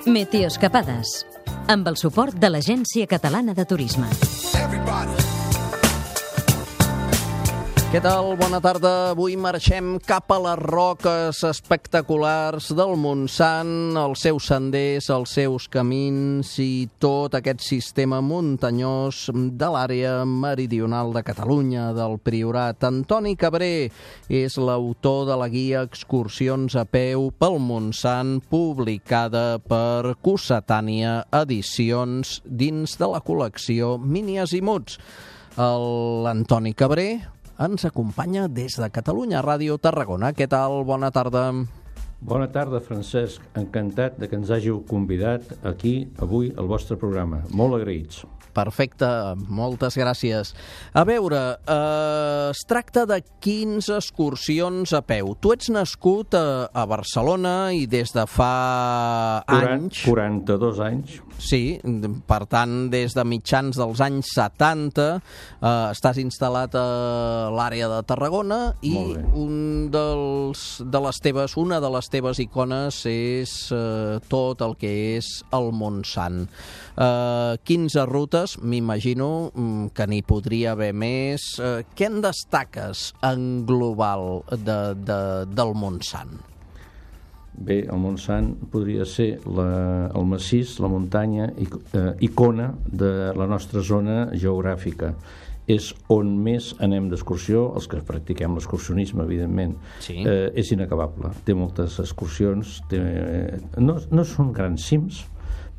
Meteoescapades, amb el suport de l'Agència Catalana de Turisme. Què tal? Bona tarda. Avui marxem cap a les roques espectaculars del Montsant, els seus senders, els seus camins i tot aquest sistema muntanyós de l'àrea meridional de Catalunya, del Priorat. Antoni Cabré és l'autor de la guia Excursions a peu pel Montsant, publicada per Cossetània Edicions dins de la col·lecció Mini Azimuts. L'Antoni Cabré ens acompanya des de Catalunya Ràdio Tarragona. Què tal? Bona tarda. Bona tarda, Francesc. Encantat de que ens hàgiu convidat aquí, avui, al vostre programa. Molt agraïts. Perfecte, moltes gràcies. A veure, es tracta de 15 excursions a peu. Tu ets nascut a Barcelona i des de fa anys... 42 anys. Sí, per tant, des de mitjans dels anys 70 estàs instal·lat a l'àrea de Tarragona i una de les teves icones és tot el que és el Montsant. 15 rutes, m'imagino que n'hi podria haver més. Què en destaques en global del Montsant? Bé, el Montsant podria ser el massís, la muntanya, icona de la nostra zona geogràfica. És on més anem d'excursió, els que practiquem l'excursionisme, evidentment. Sí. És inacabable. Té moltes excursions, no són grans cims,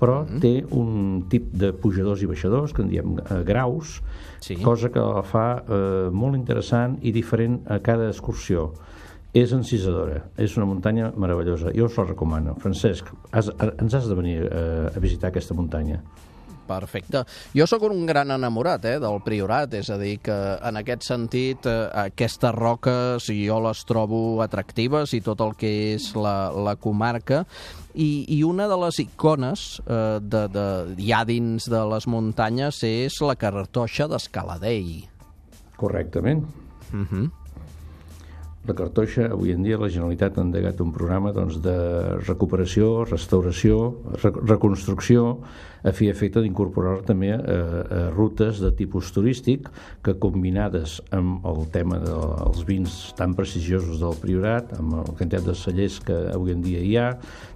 però té un tip de pujadors i baixadors, que en diem graus, sí. Cosa que la fa molt interessant i diferent a cada excursió. És encisadora, és una muntanya meravellosa. Jo us la recomano. Francesc, ens has de venir a visitar aquesta muntanya. Perfecte. Jo sóc un gran enamorat del Priorat, és a dir, que en aquest sentit aquestes roques jo les trobo atractives i tot el que és la comarca, i una de les icones ja dins de les muntanyes és la Cartoixa d'Escaladei. Correctament. La Cartoixa, avui en dia la Generalitat ha endegat un programa de recuperació, restauració, reconstrucció, a fi i efecte d'incorporar també a rutes de tipus turístic que, combinades amb el tema dels vins tan prestigiosos del Priorat, amb la quantitat de cellers que avui en dia hi ha,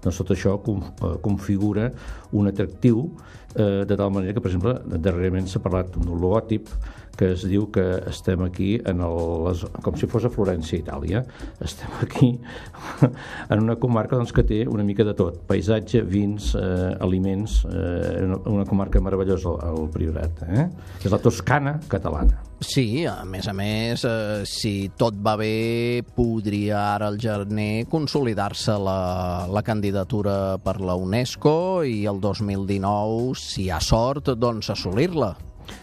doncs tot això configura un atractiu de tal manera que, per exemple, darrerament s'ha parlat d'un logòtip que es diu que estem aquí com si fos a Florència, Itàlia. Estem aquí en una comarca que té una mica de tot: paisatge, vins, aliments, una comarca meravellosa, el Priorat. És la Toscana catalana. Sí, a més, si tot va bé, podria ara al gener consolidar-se la candidatura per la UNESCO i el 2019, si hi ha sort, doncs assolir-la.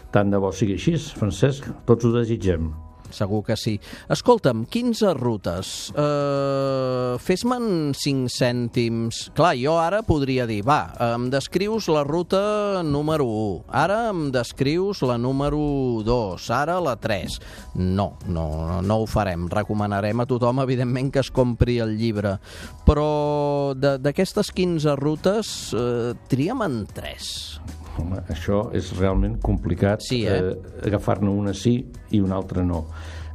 Tant de bo sigui així, Francesc, tots ho desitgem. Segur que sí. Escolta'm, 15 rutes. Fes-me'n 5 cèntims. Clar, jo ara podria dir, em descrius la ruta número 1, ara em descrius la número 2, ara la 3. No ho farem. Recomanarem a tothom, evidentment, que es compri el llibre. Però d'aquestes 15 rutes, triem en 3. Home, això és realment complicat, sí, agafar-ne una sí i una altra no.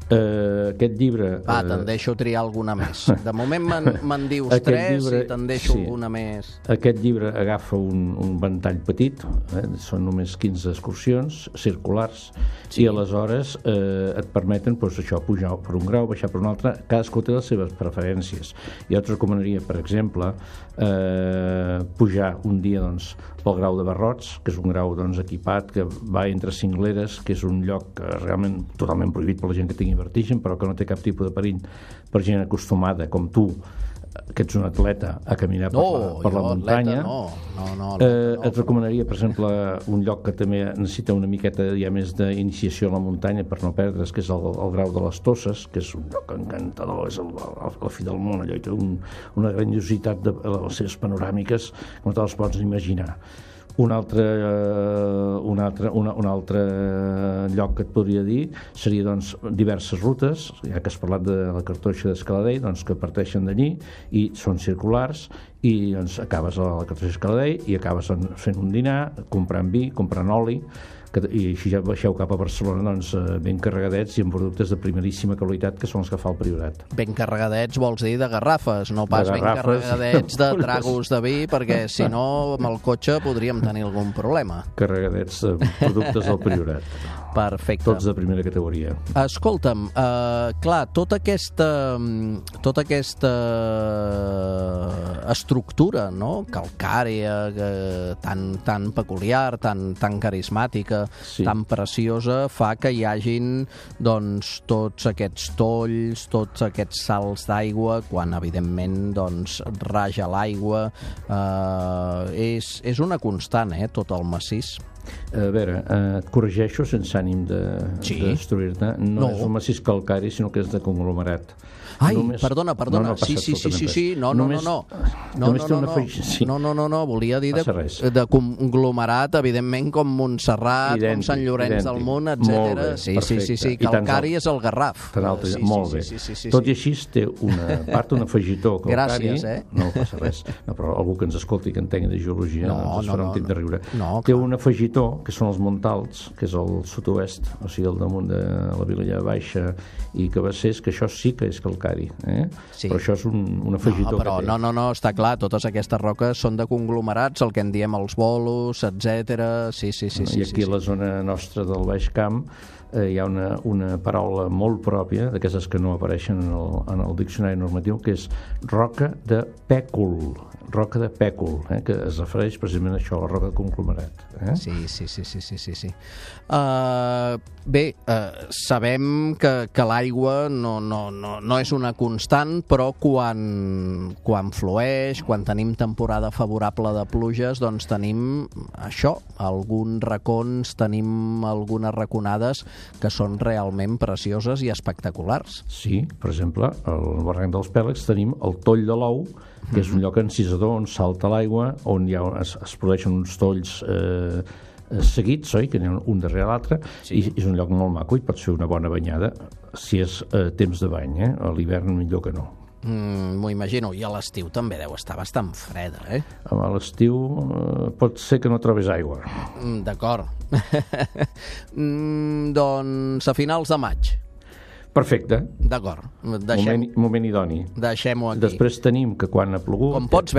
Aquest llibre... te'n deixo triar alguna més. De moment me'n dius 3 i te'n deixo alguna més. Aquest llibre agafa un ventall petit, són només 15 excursions circulars, i aleshores et permeten pujar per un grau, baixar per un altre. Cadascú té les seves preferències. Jo et recomanaria, per exemple, pujar un dia pel grau de Barrots, que és un grau equipat que va entre cingleres, que és un lloc realment totalment prohibit per la gent que tingui vertigen, però que no té cap tipus de perill per gent acostumada com tu, que ets un atleta, a caminar per la muntanya. Et recomanaria, per exemple, un lloc que també necessita una miqueta ja més d'iniciació a la muntanya per no perdre's, que és el Grau de les Tosses, que és un lloc encantador, és la fi del món, allò, i té una grandiositat de les seves panoràmiques que no te les pots imaginar. Un altre lloc que et podria dir seria doncs, diverses rutes, ja que has parlat de la cartoixa d'Escaladei, doncs, que parteixen d'allí i són circulars, i doncs, acabes a la cartoixa d'Escaladei i acabes fent un dinar, comprant vi, comprant oli, i així ja baixeu cap a Barcelona doncs, ben carregadets i amb productes de primeríssima qualitat, que són els que fa el Priorat. Ben carregadets vols dir de garrafes, no pas ben carregadets de tragos de vi, perquè si no amb el cotxe podríem tenir algun problema. Carregadets de productes del Priorat. Perfecte. Tots de primera categoria. Escolta'm, clar, tota aquesta estructura, no?, calcària, tan peculiar, tan carismàtica, sí, tan preciosa, fa que hi hagin doncs, tots aquests tolls, tots aquests salts d'aigua, quan evidentment doncs, raja l'aigua. És una constant, tot el massís. A veure, et corregeixo sense ànim de destruir-te. No és un massís calcari, sinó que és de conglomerat. Ai, perdona. Sí. No, volia dir de conglomerat, evidentment, com Montserrat, com Sant Llorenç del Munt, etc. Sí, calcari és el Garraf. Molt bé. Tot i així té una part, un afegitó calcari. Gràcies, No passa res. Però algú que ens escolti, que entengui de geologia, ens farà un temps de riure. Té un afegitó, que són els Montals, que és el sud-oest, o sigui, al damunt de la Vilella Baixa i Cabassers, que això sí que és calcari, Sí. Però això és un afegitó però que té. No, està clar, totes aquestes roques són de conglomerats, el que en diem els bolos, etc. Sí. I aquí a la zona nostra del Baix Camp hi ha una paraula molt pròpia, d'aquestes que no apareixen en el diccionari normatiu, que és roca de pècul, que es refereix precisament a això, a la roca de conglomerat. Sí. Bé, sabem que l'aigua no és una constant, però quan flueix, quan tenim temporada favorable de pluges, doncs tenim això, alguns racons, tenim algunes raconades que són realment precioses i espectaculars. Sí, per exemple, al barranc dels Pèlegs tenim el Toll de l'Ou, que és un lloc encisador on salta l'aigua, on es produeixen uns tolls seguits, oi? Que n'hi ha un darrere l'altre, i és un lloc molt maco i pots fer una bona banyada si és temps de bany, a l'hivern millor que no. M'ho imagino, i a l'estiu també deu estar bastant freda, A l'estiu pot ser que no trobis aigua. D'acord. Doncs a finals de maig. Perfecte. D'acord. Moment idoni. Deixem-ho aquí. Després tenim que quan ha plogut... Com pots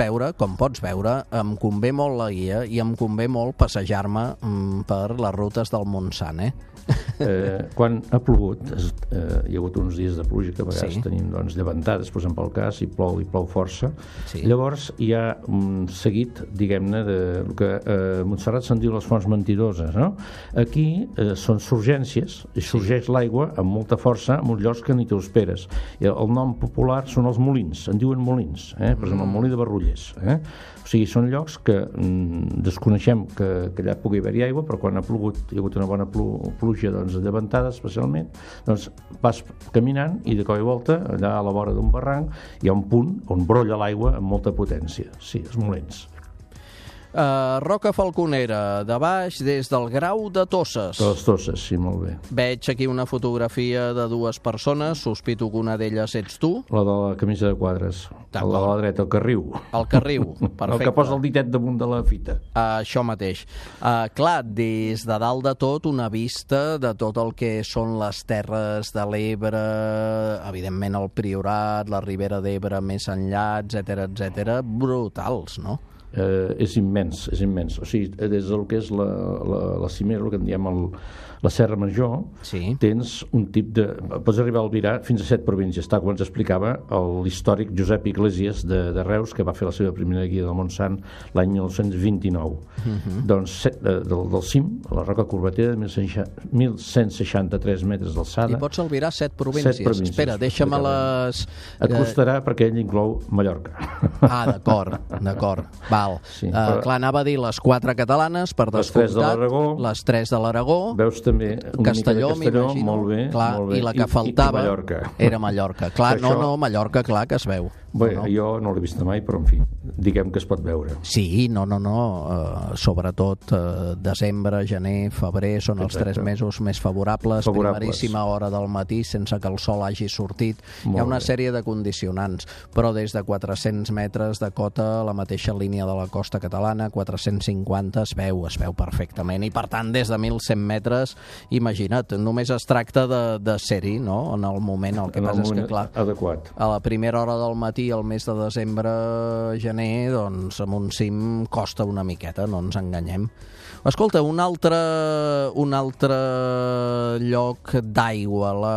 veure, em convé molt la guia i em convé molt passejar-me per les rutes del Montsant, Quan ha plogut, hi ha hagut uns dies de pluja que a vegades tenim llevantades, posem pel cas, i plou força. Llavors hi ha un seguit, diguem-ne, del que a Montserrat se'n diu les fonts mentidoses, no? Aquí són surgències, i sorgeix l'aigua amb molta força en uns llocs que ni t'ho esperes. I el nom popular són els molins, en diuen molins, per exemple, el molí de Barrullers. O sigui, són llocs que desconeixem que allà pugui haver-hi aigua, però quan ha plogut, hi ha hagut una bona pluja llevantada especialment, doncs vas caminant i de cop i volta, allà a la vora d'un barranc, hi ha un punt on brolla l'aigua amb molta potència. Sí, els molins. Roca Falconera, de baix, des del Grau de Tosses. De les Tosses, sí, molt bé. Veig aquí una fotografia de dues persones, sospito que una d'elles ets tu. La de la camisa de quadres, la de la dreta, el Carriu. El Carriu, perfecte. El que posa el ditet damunt de la fita. Això mateix. Clar, des de dalt de tot, una vista de tot el que són les terres de l'Ebre, evidentment el Priorat, la Ribera d'Ebre més enllà, etc, brutals, no? És immens. O sigui, des del que és la cimera, el que en diem la Serra Major, tens un tip de... Pots arribar a albirar fins a 7 províncies, tal com ens explicava l'històric Josep Iglesias de Reus, que va fer la seva primera guia del Montsant l'any 1929. Doncs del cim, la Roca Corbatera, de 1.163 metres d'alçada. I pots albirar 7 províncies. Espera, deixa'm-les... Et costarà perquè ell inclou Mallorca. D'acord. Val. Clar, anava a dir les 4 catalanes, per descomptat, les 3 de l'Aragó, veus també una Castelló, mica de Castelló, molt bé. I la que faltava Mallorca. era Mallorca. Clar, Mallorca, clar que es veu. Bé, jo no l'he vist mai, però en fi, diguem que es pot veure. Sí, no. Sobretot desembre, gener, febrer són els 3 mesos més favorables. Primeríssima hora del matí sense que el sol hagi sortit. Hi ha una sèrie de condicionants, però des de 400 metres de cota, la mateixa línia de la costa catalana, 450 es veu perfectament, i per tant des de 1.100 metres, imagina't, només es tracta de ser-hi, no?, en el moment. El que passa és que, clar, adequat. A la primera hora del matí, al mes de desembre, gener, doncs amb un cim costa una miqueta, no ens enganyem. Escolta, un altre lloc d'aigua, la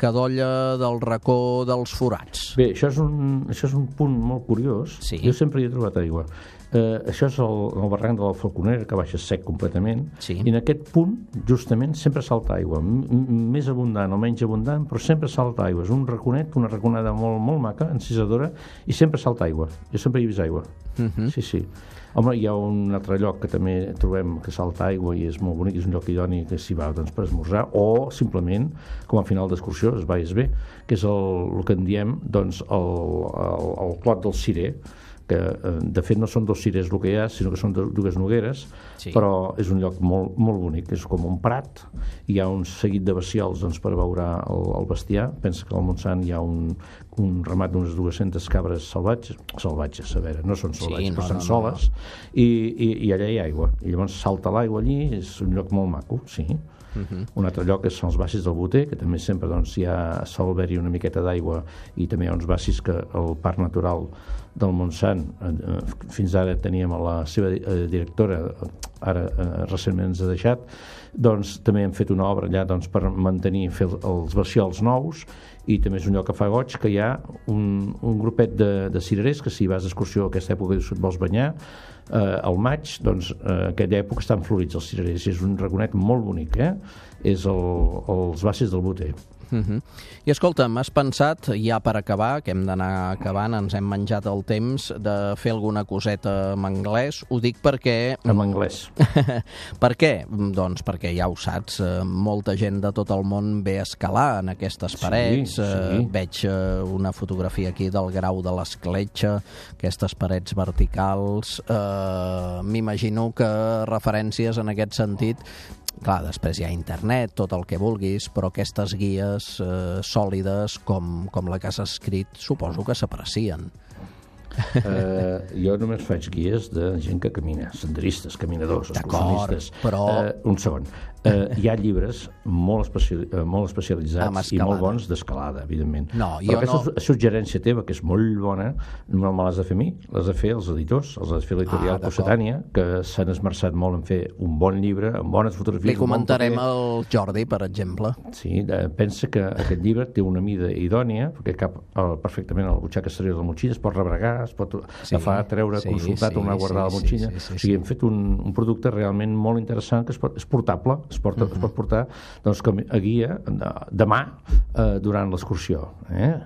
Cadolla del Racó dels Forats. Bé, això és un punt molt curiós. Sí. Jo sempre hi he trobat aigua. Això és el barranc de la Falconera, que baixa sec completament, sí. I en aquest punt, justament, sempre salta aigua, més abundant o menys abundant, però sempre salta aigua. És un raconet, una raconada molt, molt maca, encisadora, i sempre salta aigua. Jo sempre hi he vist aigua. Sí. Home, hi ha un altre lloc que també trobem que salta aigua i és molt bonic, és un lloc idoni que s'hi va, doncs, per esmorzar, o simplement, com a final d'excursió, es va i es ve, que és el que en diem, doncs, el Clot del Cirer, que de fet no són 2 cirers el que hi ha, sinó que són 2 nogueres, sí. Però és un lloc molt, molt bonic, és com un prat, hi ha un seguit de baciols, doncs, per abeurar el bestiar. Pensa que al Montsant hi ha un ramat d'unes 200 cabres salvatges, a veure, no són salvatges, però són soles, i allà hi ha aigua, i llavors salta l'aigua allí, és un lloc molt maco, sí. Un altre lloc són els bassis del Boter, que també sempre doncs, sol haver-hi una miqueta d'aigua, i també hi ha uns bassis que el Parc Natural del Montsant, fins ara teníem a la seva directora, ara recentment ens ha deixat, doncs també hem fet una obra allà doncs, per mantenir, fer els baciols nous, i també és un lloc que fa goig, que hi ha un grupet de cirerers que si vas d'excursió a aquesta època i et vols banyar, al maig, doncs en aquella època estan florits els cirerers, i és un raconet molt bonic, és els bassis del Boter. I escolta, m'has pensat, ja per acabar, que hem d'anar acabant, ens hem menjat el temps de fer alguna coseta en anglès. Ho dic perquè... En anglès. Per què? Doncs perquè ja ho saps, molta gent de tot el món ve a escalar en aquestes parets. Sí. Veig una fotografia aquí del Grau de l'Escletxa, aquestes parets verticals. M'imagino que referències en aquest sentit... Clar, després hi ha internet, tot el que vulguis, però aquestes guies sòlides com la que has escrit suposo que s'aprecien. Jo només faig guies de gent que camina, senderistes, caminadors, excursionistes. Però... Un segon. Hi ha llibres molt especialitzats i molt bons d'escalada, evidentment. Però aquesta suggerència teva, que és molt bona, no me l'has de fer a mi, l'has de fer als editors, els has de fer l'editorial Possetània, que s'han esmerçat molt en fer un bon llibre, amb bones fotografies. Li comentarem al Jordi, per exemple. Sí, pensa que aquest llibre té una mida idònia, perquè cap perfectament a la butxaca exterior de la motxilla, es pot rebregar, es pot agafar, treure, consultar, tornar a guardar la motxilla. O sigui, hem fet un producte realment molt interessant, que és portable, es pot portar doncs, a guia demà durant l'excursió.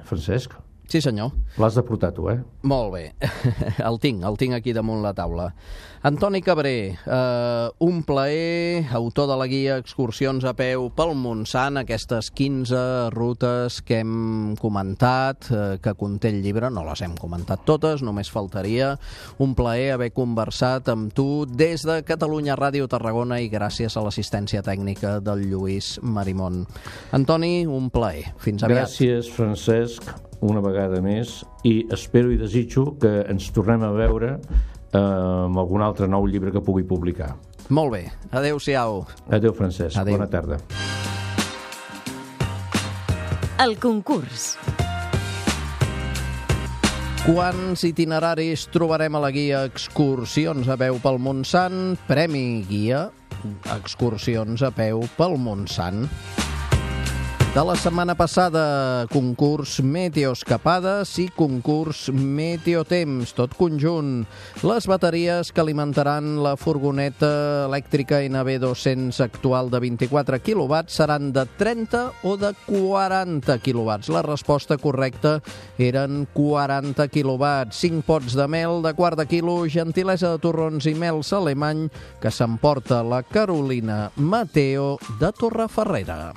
Francesc? Sí, senyor. L'has de portar tu, Molt bé. El tinc aquí damunt la taula. Antoni Cabré, un plaer, autor de la guia Excursions a peu pel Montsant, aquestes 15 rutes que hem comentat, que conté el llibre, no les hem comentat totes, només faltaria. Un plaer haver conversat amb tu des de Catalunya Ràdio Tarragona i gràcies a l'assistència tècnica del Lluís Marimón. Antoni, un plaer. Fins aviat. Gràcies, Francesc, una vegada més, i espero i desitjo que ens tornem a veure amb algun altre nou llibre que pugui publicar. Molt bé. Adéu-siau. Adéu, Francesc. Adéu. Bona tarda. El concurs. Quants itineraris trobarem a la guia Excursions a peu pel Montsant? Premi guia Excursions a peu pel Montsant. De la setmana passada, concurs Meteoescapades i concurs Meteotemps, tot conjunt. Les bateries que alimentaran la furgoneta elèctrica NB200 actual de 24 kW seran de 30 o de 40 kW. La resposta correcta eren 40 kW. 5 pots de mel de quart de quilo, gentilesa de torrons i mels alemany, que s'emporta la Carolina Mateo de Torreferrera.